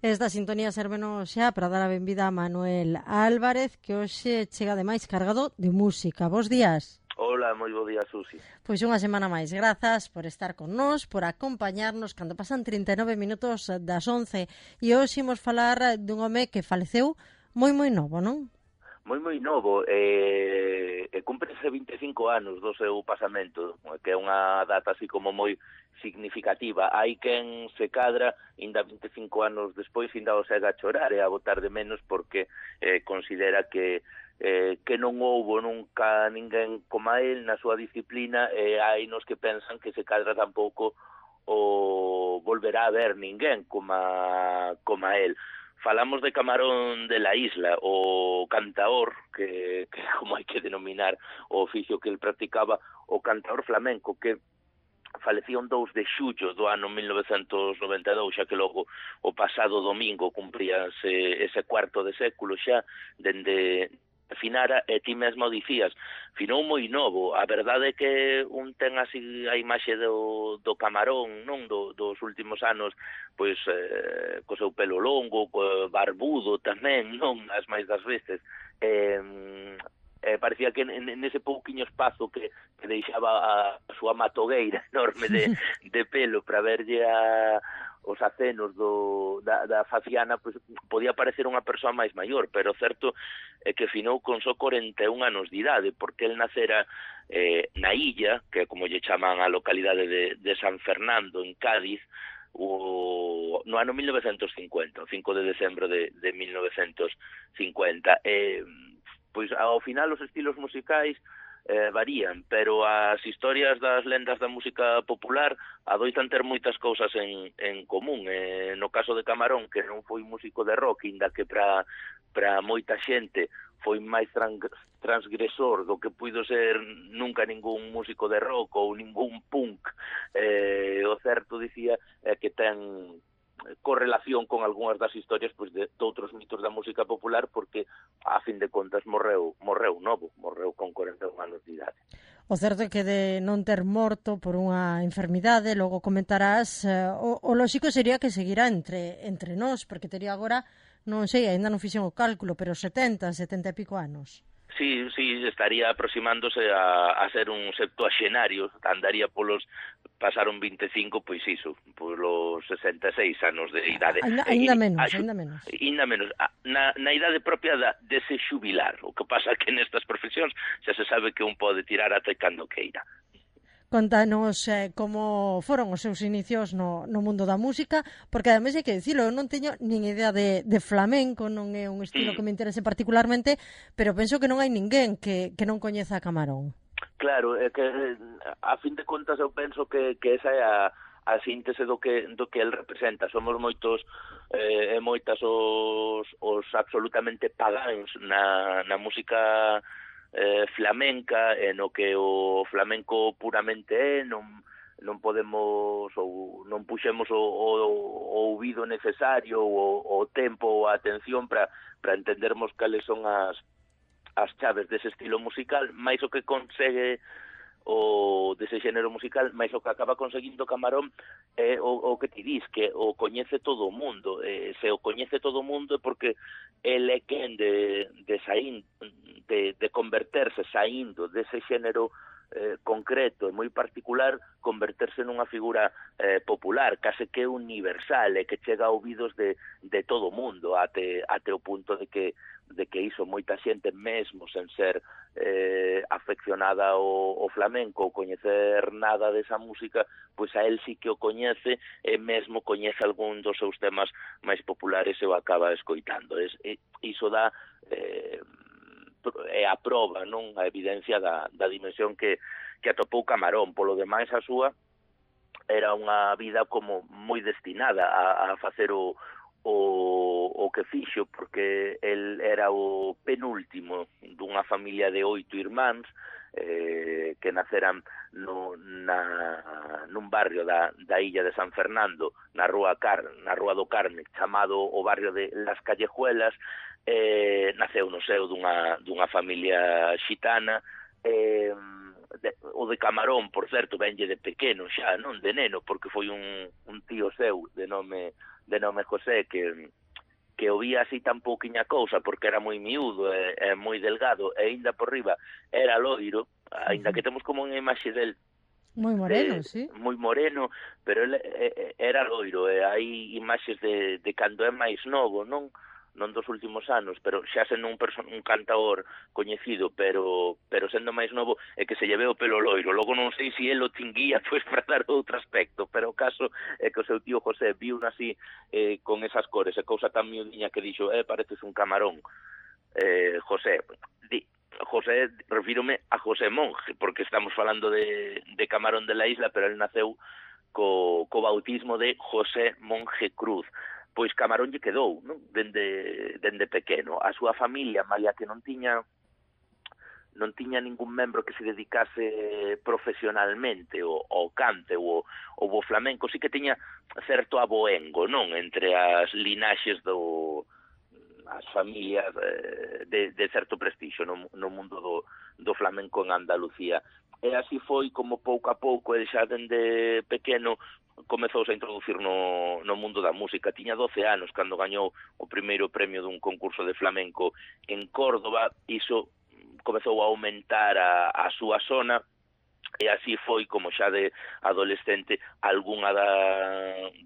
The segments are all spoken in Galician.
Esta sintonía sérvenos xa para dar a benvida a Manuel Álvarez, que hoxe chega ademais cargado de música. Bos días. Hola, moi bo día, Susi. Pois unha semana máis. Grazas por estar con nós, por acompañarnos cando pasan 39 minutos das 11. E hoxe imos falar dun home que faleceu moi novo, non? Moi novo, cúmprese 25 anos do seu pasamento, que é unha data así como moi significativa. Hai quen se cadra, ainda 25 anos despois, ainda o sega a chorar e a botar de menos porque considera que non houbo nunca ninguén como el na súa disciplina, e hai nos que pensan que se cadra tampouco o volverá a ver ninguén como el. Falamos de Camarón de la Isla, o cantaor, que como hai que denominar o oficio que el practicaba, o cantaor flamenco, que falecía un 2 de xullo do ano 1992, xa que logo o pasado domingo cumpríase ese cuarto de século xa, dende finara, e ti mesmo dicías, finou moi novo. A verdade é que un ten así a imaxe do Camarón, non, dos últimos anos, pois co seu pelo longo, barbudo tamén, non, as máis das veces, parecía que nese pouquiño espazo que deixaba a súa matogueira enorme de pelo para verlle os acenos da faciana, pois podía parecer unha persoa máis maior, pero certo é que finou con só 41 anos de idade, porque el nacera na illa, que é como lle chaman a localidade de San Fernando, en Cádiz, no ano 1950, o 5 de decembro de 1950. Pois ao final os estilos musicais varían, pero as historias das lendas da música popular adoitan ter moitas cousas en común. No caso de Camarón, que non foi músico de rock, inda que para moita xente foi máis transgresor do que puido ser nunca ningún músico de rock ou ningún punk, o certo dicía que ten correlación con algunhas das historias pois de outros mitos da música popular, porque a fin de contas morreu novo, morreu con 41 anos de idade. O certo é que de non ter morto por unha enfermidade, logo comentarás, o lóxico sería que seguirá entre nós, porque tería agora, non sei, ainda non fixen o cálculo, pero 70 e pico anos. Sí, estaría aproximándose a ser un septuaxenario, andaría pasaron 25, pois iso, polos 66 anos de idade. Ainda menos. Na idade propia de se xubilar. O que pasa que nestas profesións xa se sabe que un pode tirar até cando queira. Contanos como foron os seus inicios no mundo da música, porque ademais hai que dicilo, eu non teño nin idea de flamenco, non é un estilo que me interese particularmente, pero penso que non hai ninguén que non coñeza a Camarón. Claro, é que a fin de contas eu penso que esa é a síntese do que el representa. Somos moitos e moitas os absolutamente pagáns na música flamenca, no que o flamenco puramente non podemos ou non puxemos o ouvido necesario, o tempo ou a atención para entendermos cales son as chaves dese estilo musical, máis o que consegue dese xénero musical, máis o que acaba conseguindo Camarón é o que ti dis, que o coñece todo o mundo. Se o coñece todo o mundo é porque el é quen de converterse, saindo dese xénero concreto e moi particular, converterse nunha figura popular, case que universal, e que chega a ouvidos de todo o mundo, até o punto de que iso moita xente mesmo sen ser afeccionada ao flamenco ou coñecer nada desa música, pois a él sí que o coñece e mesmo coñece algún dos seus temas máis populares e o acaba escoitando. Iso dá é a proba, non, a evidencia da dimensión que atopou Camarón. Polo demais, a súa era unha vida como moi destinada a facer o que fixo, porque el era o penúltimo dunha familia de 8 irmáns que naceran nun barrio da illa de San Fernando, na rúa do Carme, chamado o barrio de Las Callejuelas. Naceu no seo dunha familia xitana, o de Camarón, por certo, venlle de pequeno xa, non de neno, porque foi un tío seu de nome José que o vía así tan pouquiña cousa porque era moi miúdo e moi delgado e ainda por riba era loiro, ainda que temos como unha imaxe del moi moreno, sí. Moi moreno, pero ele era loiro e hai imaxes de cando é máis novo, non dos últimos anos, pero xa sendo un cantaor coñecido, pero sendo máis novo, é que se lle ve o pelo loiro. Logo non sei se el o tinguía pois para dar outro aspecto, pero o caso é que o seu tío José viu así con esas cores, e cousa tan miudiña que dixo, pareces un camarón. José, refírome a José Monge, porque estamos falando de Camarón de la Isla, pero el naceu co bautismo de José Monge Cruz. Pois Camarón lle quedou, non? Dende pequeno. A súa familia, malia que non tiña ningún membro que se dedicase profesionalmente ao cante ou ao flamenco, sí que tiña certo aboengo, non? Entre as linaxes as familias de certo prestixio no mundo do flamenco en Andalucía. E así foi como pouco a pouco, ele xa dende pequeno comezouse a introducir no mundo da música. Tiña 12 anos cando gañou o primeiro premio dun concurso de flamenco en Córdoba. Iso comezou a aumentar a súa zona, e así foi como xa de adolescente algunha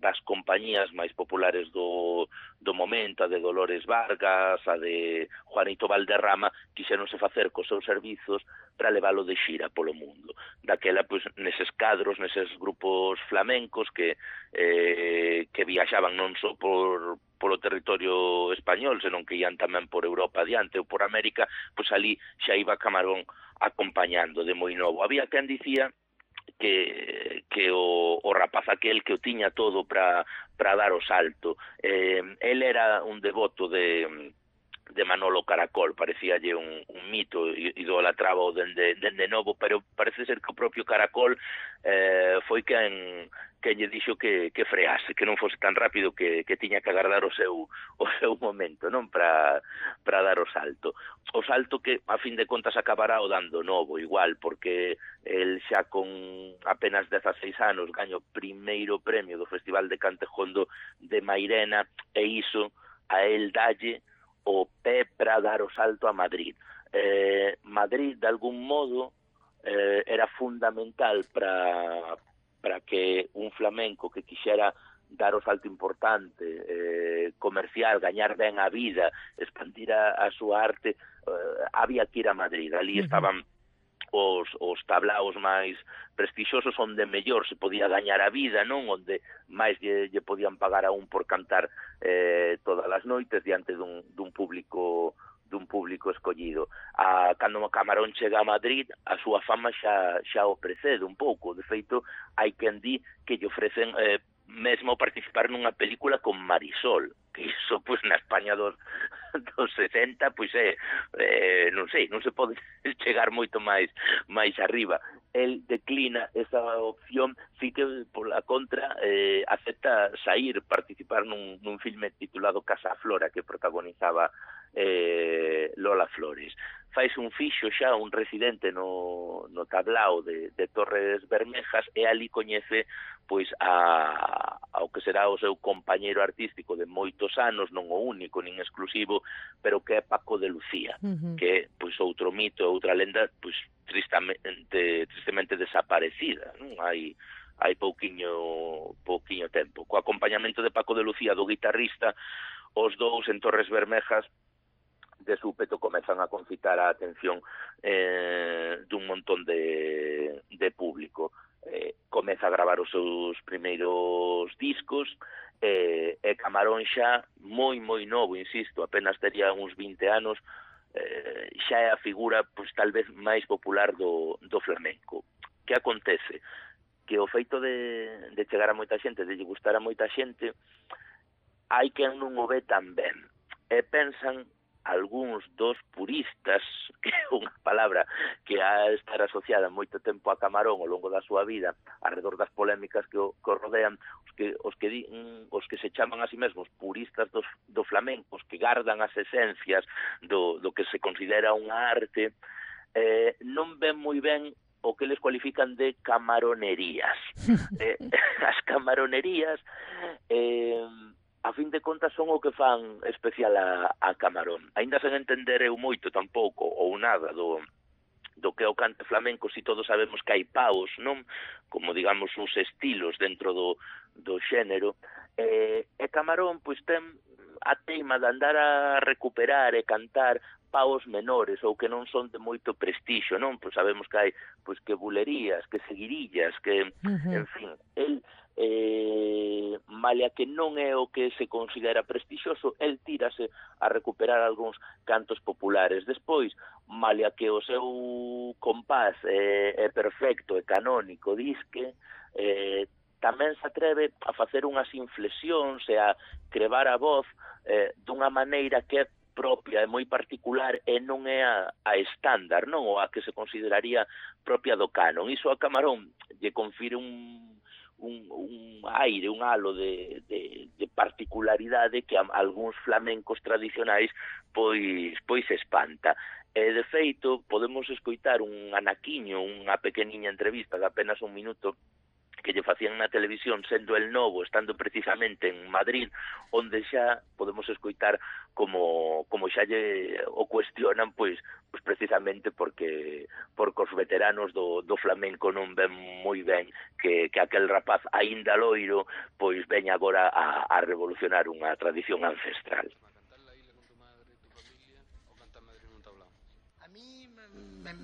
das compañías máis populares do momento, a de Dolores Vargas, a de Juanito Valderrama, quixéronse facer cos seus servizos para leválo de xira polo mundo. Daquela, pois, neses cadros, neses grupos flamencos que viaxaban non só polo territorio español, senón que ian tamén por Europa adiante ou por América, pois ali xa iba Camarón acompañando de moi novo. Había quen dicía que o rapaz aquel que o tiña todo para dar o salto. El era un devoto de Manolo Caracol, parecíalle un mito, idolatraba dende novo, pero parece ser que o propio Caracol foi quen lle dixo que frease, que non fose tan rápido, que tiña que agardar o seu momento, non, para dar o salto. O salto que, a fin de contas, acabará o dando novo, igual, porque el xa con apenas 16 anos gaño o primeiro premio do Festival de Cantejondo de Mairena, e iso a el dalle o pé para dar o salto a Madrid. Madrid, de algún modo, era fundamental para que un flamenco que quixera dar o salto importante, comercial, gañar ben a vida, expandir a súa arte, había que ir a Madrid. Ali estaban os tablaos máis prestixiosos, onde mellor se podía gañar a vida, non? Onde máis lle podían pagar a un por cantar todas as noites diante dun público escollido. Cando Camarón chega a Madrid, a súa fama xa o precede un pouco. De feito, hai quen di que lle ofrecen mesmo participar nunha película con Marisol, que iso, pois, na España dos 60, pois non sei, non se pode chegar moito máis arriba. El declina esa opción, sí que, pola contra, acepta participar nun filme titulado Casa Flora, que protagonizaba Lola Flores. Faise un fixo xa, un residente no tablao de Torres Bermejas, e ali coñece pois ao que será o seu compañeiro artístico de moitos anos, non o único nin exclusivo, pero que é Paco de Lucía, que é pois outro mito, outra lenda pois tristemente desaparecida, non? Hai pouquiño tempo. Co acompañamento de Paco de Lucía, do guitarrista, os dous en Torres Bermejas de súpeto comezan a concitar a atención dun montón de público. Comeza a gravar os seus primeiros discos, e Camarón xa moi novo, insisto, apenas tería uns 20 anos, xa é a figura, pois, tal vez máis popular do flamenco. Que acontece? Que o feito de chegar a moita xente, de lle gustar a moita xente, hai quen non o ve tan ben, e pensan algúns dos puristas, que é unha palabra que ha estar asociada moito tempo a Camarón ao longo da súa vida, alrededor das polémicas que o rodean, os que se chaman a si mesmos puristas do flamenco, os que gardan as esencias do que se considera unha arte, non ven moi ben o que les cualifican de camaronerías. As camaronerías, a fin de contas, son o que fan especial a Camarón. Ainda sen entender eu moito tampouco, ou nada, do que é o cante flamenco, si todos sabemos que hai paos, non? Como, digamos, uns estilos dentro do xénero. E Camarón, pois, ten a teima de andar a recuperar e cantar paos menores ou que non son de moito prestixio, non? Pois sabemos que hai pois que bulerías, que seguirillas, que, en fin, el malia que non é o que se considera prestixioso, el tírase a recuperar algúns cantos populares. Despois, malia que o seu compás é perfecto e canónico, disque, tamén se atreve a facer unhas inflexións e a crevar a voz dunha maneira que é propia e moi particular e non é a estándar, non? Ou a que se consideraría propia do canon. Iso a Camarón lle confire un aire, un halo de particularidade que a algúns flamencos tradicionais pois espanta. E, de feito, podemos escoitar un anaquiño, unha pequeniña entrevista de apenas un minuto que lle facían na televisión sendo el novo, estando precisamente en Madrid, onde xa podemos escoitar como xa lle o cuestionan, pois precisamente porque os veteranos do flamenco non ven moi ben que aquel rapaz aínda loiro pois ven agora a revolucionar unha tradición ancestral. A mí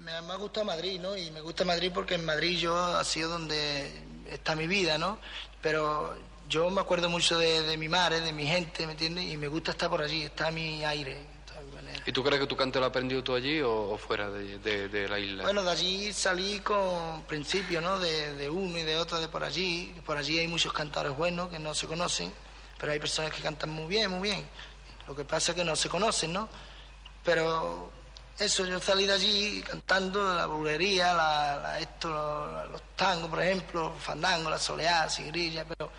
me ha gustado Madrid, ¿no? Y me gusta Madrid porque en Madrid yo ha sido donde está mi vida, ¿no? Pero yo me acuerdo mucho de mi madre, de mi gente, ¿me entiendes? Y me gusta estar por allí, está mi aire. ¿Y tú crees que tu cante lo has aprendido tú allí o fuera de la isla? Bueno, de allí salí con principios, ¿no? De uno y de otro de por allí. Por allí hay muchos cantadores buenos que no se conocen, pero hay personas que cantan muy bien, muy bien. Lo que pasa es que no se conocen, ¿no? Pero eso, yo salí de allí cantando la bulería, los tangos, por ejemplo, fandango, la soleá, sigrilla, pero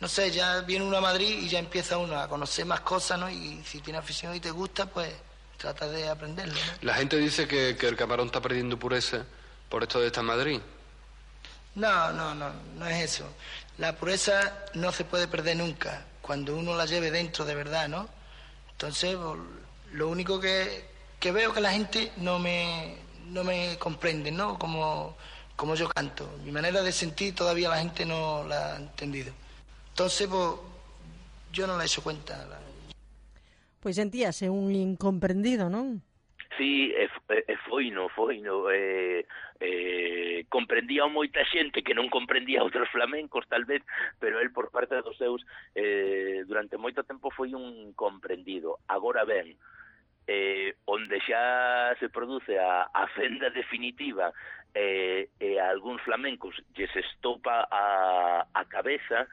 no sé, ya viene uno a Madrid y ya empieza uno a conocer más cosas, ¿no? Y si tiene afición y te gusta, pues trata de aprenderlo, ¿no? La gente dice que el Camarón está perdiendo pureza por esto de estar en Madrid. No es eso. La pureza no se puede perder nunca, cuando uno la lleve dentro de verdad, ¿no? Entonces, lo único que veo que la gente no me comprende, ¿no? Como yo canto. Mi manera de sentir todavía la gente no la ha entendido. Entonces, pues, yo non la hecho cuenta. Pois sentíase un incomprendido, non? Sí, foi no. Comprendía moita xente que non comprendía outros flamencos, tal vez, pero el, por parte dos seus, durante moito tempo foi un comprendido. Agora ben, onde xa se produce a fenda definitiva e a algúns flamencos lles estopa a cabeza,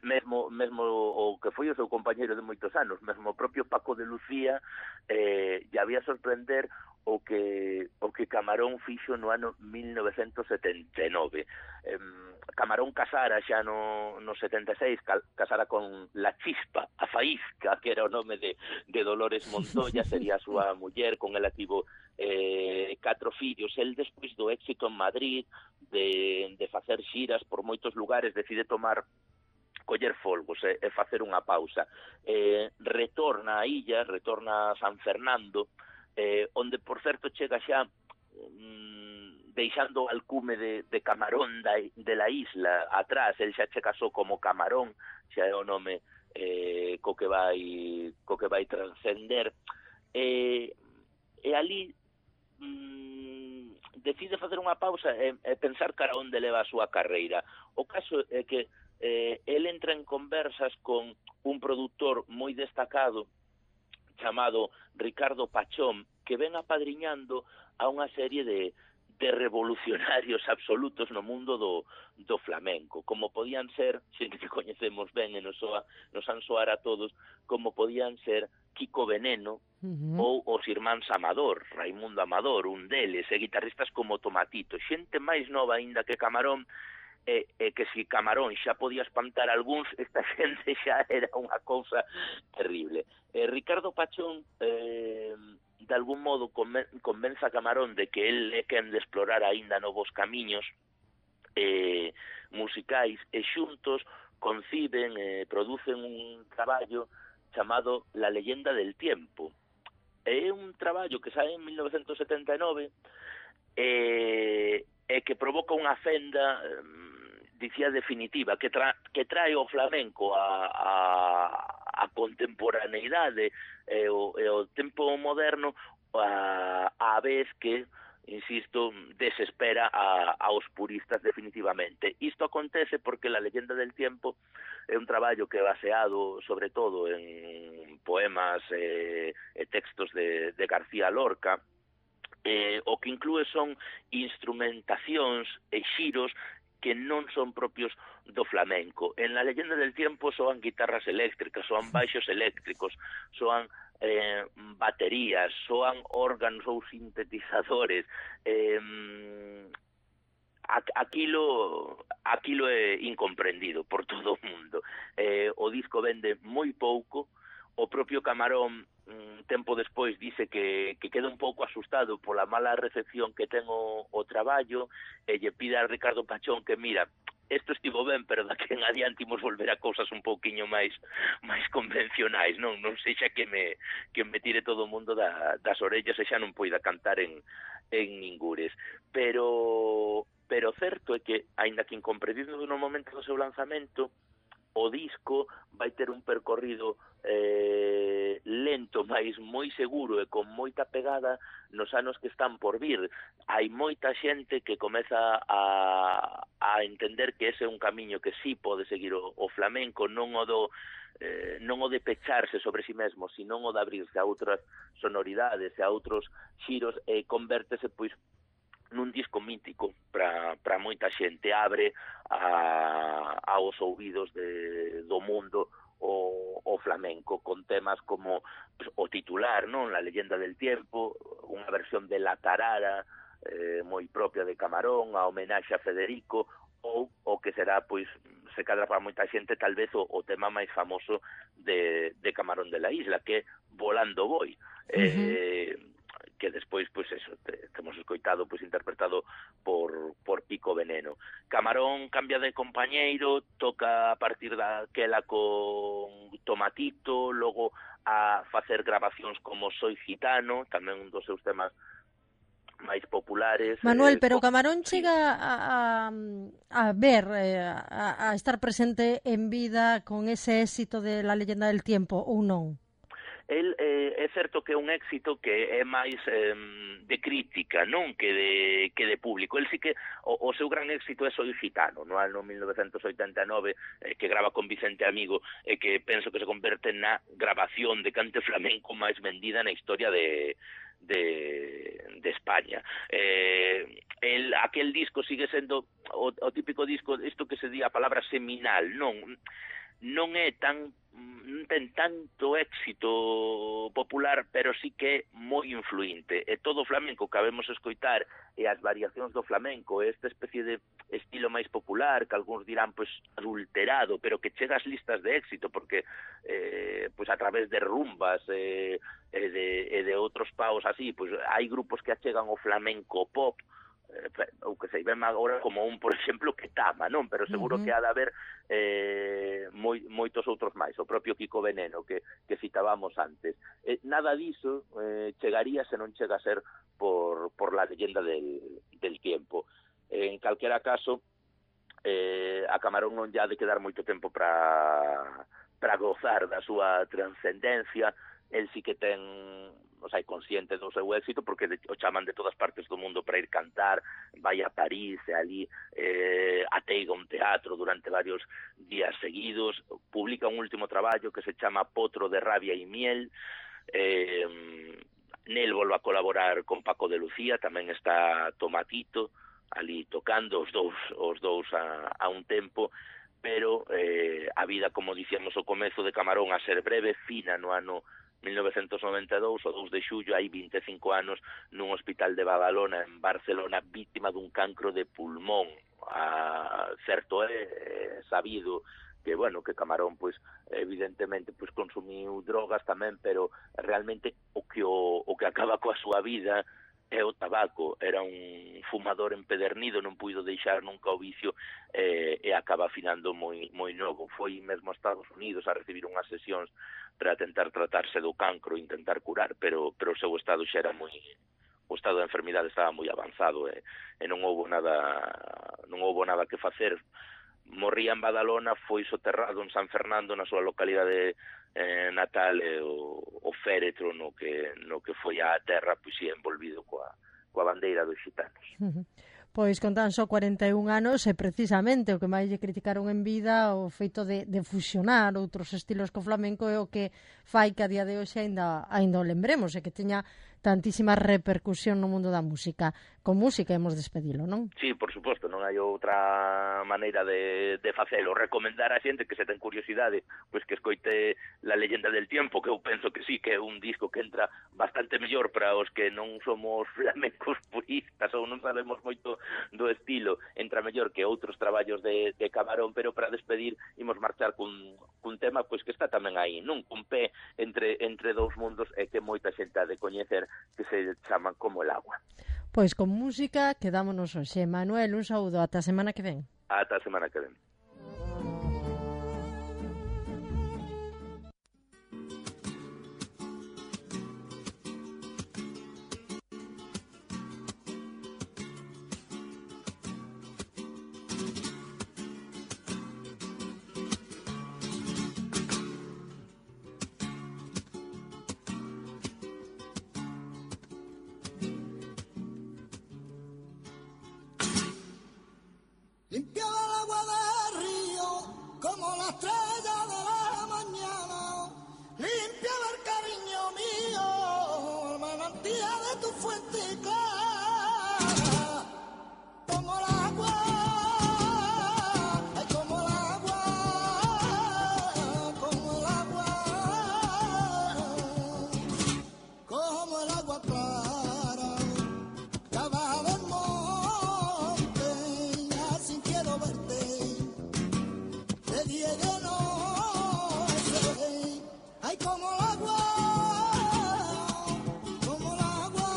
mesmo o que foi o seu compañeiro de moitos anos, mesmo o propio Paco de Lucía, lle había sorprender o que Camarón fixo no ano 1979. Camarón casara xa no 76, casara con La Chispa, a Faísca, que era o nome de Dolores Montoya, sería a súa muller, con ela tivo 4 fillos. El, despois do éxito en Madrid, de facer xiras por moitos lugares, decide coller folgos e facer unha pausa. Retorna a illa, retorna a San Fernando, onde, por certo, chega xa deixando o alcume de Camarón de la isla atrás. El xa che casou como Camarón, xa é o nome co que vai transcender. E ali decide facer unha pausa e pensar cara onde leva a súa carreira. O caso é que el entra en conversas con un produtor moi destacado chamado Ricardo Pachón, que ven apadriñando a unha serie de revolucionarios absolutos no mundo do flamenco, como podían ser, xente que coñecemos ben e nos han soar a todos, como podían ser Kiko Veneno ou os irmáns Amador, Raimundo Amador, un deles, e guitarristas como Tomatito, xente máis nova aínda que Camarón, que si Camarón xa podía espantar algúns, esta xente xa era unha cousa terrible. Ricardo Pachón de algún modo convence a Camarón de que el é quen de explorar aínda novos camiños musicais, e xuntos conciben e producen un traballo chamado La leyenda del tiempo. É un traballo que sae en 1979 e que provoca unha fenda dicía definitiva, que trae o flamenco a contemporaneidade e o tempo moderno a vez que, insisto, desespera aos puristas definitivamente. Isto acontece porque La leyenda del tiempo é un traballo que é baseado sobre todo en poemas e textos de García Lorca, o que inclúe son instrumentacións e xiros que non son propios do flamenco. En La leyenda del tiempo soan guitarras eléctricas, soan baixos eléctricos, soan baterías, soan órganos ou sintetizadores. Aquilo é incomprendido por todo o mundo. O disco vende moi pouco. O propio Camarón tempo despois dice que queda un pouco asustado pola mala recepción que ten o traballo, e lle pide a Ricardo Pachón que, mira, isto estivo ben, pero daqui en adiante imos volver a cousas un pouquiño máis convencionais, non sexa que me tire todo o mundo das orellas e xa non poida cantar en ningures. Pero certo é que, aínda que incomprendido no momento do seu lanzamento, o disco vai ter un percorrido lento, mas moi seguro e con moita pegada nos anos que están por vir. Hai moita xente que comeza a entender que ese é un camiño que sí pode seguir o flamenco, non o de pecharse sobre si mesmo, sino o de abrirse a outras sonoridades e a outros xiros, e convértese pois nun disco mítico para moita xente. Abre aos ouvidos do mundo o flamenco, con temas como o titular, non? La leyenda del tiempo, unha versión de La tarara moi propia de Camarón, a homenaxe a Federico, ou o que será, pois, se cadra para moita xente, tal vez o tema máis famoso de Camarón de la Isla, que é Volando Voy. Que despois, pois eso, temos escoitado, pois interpretado por Pico Veneno. Camarón cambia de compañeiro, toca a partir daquela con Tomatito, logo a facer grabacións como Soy Gitano, tamén un dos seus temas máis populares. Manuel, pero Camarón chega a ver, a estar presente en vida con ese éxito de La leyenda del tiempo, ou non? El é certo que é un éxito que é máis de crítica, non que de público. El sí que o seu gran éxito é Soy Gitano, no ano 1989, que grava con Vicente Amigo, e que penso que se converte na grabación de cante flamenco máis vendida na historia de España. Aquel disco sigue sendo o típico disco, isto que se di a palabra seminal, non é non ten tanto éxito popular, pero sí que é moi influinte. E todo o flamenco que habemos escoitar e as variacións do flamenco, esta especie de estilo máis popular, que algúns dirán pois adulterado, pero que chega ás listas de éxito, porque pois a través de rumbas e de outros paos así, pois hai grupos que achegan o flamenco pop, ou que se ven agora como un, por exemplo, que Tama, non? Pero seguro que ha de haber moitos outros máis, o propio Pico Veneno que citábamos antes. Nada diso chegaría se non chega a ser por La leyenda del tiempo. En calquera caso, a Camarón non lle ha de quedar moito tempo para gozar da súa transcendencia. El sí que ten, consciente do seu éxito, porque o chaman de todas partes do mundo para ir cantar, vai a París e ali ateiga un teatro durante varios días seguidos, publica un último traballo que se chama Potro de rabia y miel, nel volve a colaborar con Paco de Lucía, tamén está Tomatito ali tocando os dous a un tempo, pero a vida, como dicíamos ao comezo de Camarón, a ser breve, fina no ano 1992, o 2 de xullo, hai 25 anos, nun hospital de Badalona, en Barcelona, vítima dun cancro de pulmón. Certo é sabido que, que Camarón, pois, evidentemente, pois, consumiu drogas tamén, pero realmente o que o que acaba coa súa vida é o tabaco. Era un fumador empedernido, non puido deixar nunca o vicio e acaba finando moi novo. Foi mesmo a Estados Unidos a recibir unhas sesións para tentar tratarse do cancro, intentar curar, pero o seu estado xa era o estado da enfermidade estaba moi avanzado e non houbo nada que facer. Morría en Badalona, foi soterrado en San Fernando, na súa localidade natal, o féretro no que foi á terra, pois ia envolvido coa bandeira dos xitanos. Pois con tan só 41 anos, e precisamente o que máis lle criticaron en vida o feito de fusionar outros estilos co flamenco é o que fai que a día de hoxe ainda o lembremos e que teña tantísima repercusión no mundo da música. Con música hemos despedilo, non? Sí, por suposto, non hai outra maneira de facelo. Recomendar a xente que se ten curiosidade, pois que escoite La leyenda del tiempo, que eu penso que sí, que é un disco que entra bastante mellor para os que non somos flamencos puristas ou non sabemos moito do estilo, entra mellor que outros traballos de Camarón, pero para despedir imos marchar cun tema pois que está tamén aí, non? Cun pé entre dous mundos e que moita xente ha de coñecer, que se chaman Como el agua. Pois con música quedámonos hoxe. Manuel, un saúdo, ata a semana que ven. Ata a semana que ven. Limpiaba el agua del río como la estrella de la mañana. Limpiaba el cariño mío, el manantial de tu fuente clara. Como el agua, ay, como el agua, como el agua, como el agua clara. Cabaja del monte, así quiero verte, de día y de noche. Ay, como el agua, como el agua,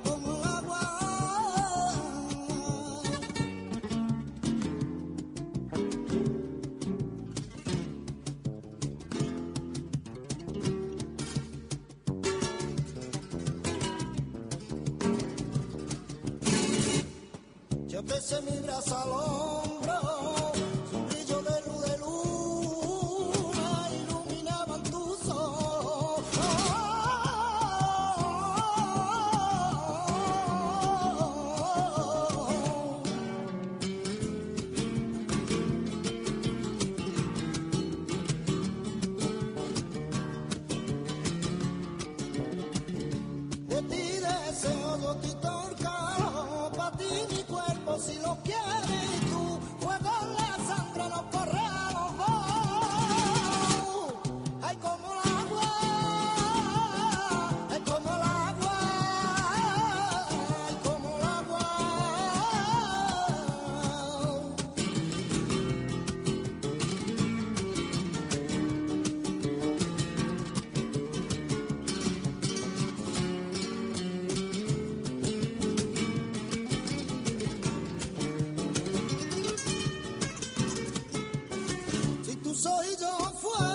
como el agua. Yo besé mi brazo al hombro, su brillo de luna iluminaban tus ojos. De ti deseo, yo te torcaro, pa' ti mi cuerpo si lo quieres tú, fuego en la sangre nos corremos vos. Ay, como el agua, ay, como el agua, ay, como el agua. Si tú soy yo fuego.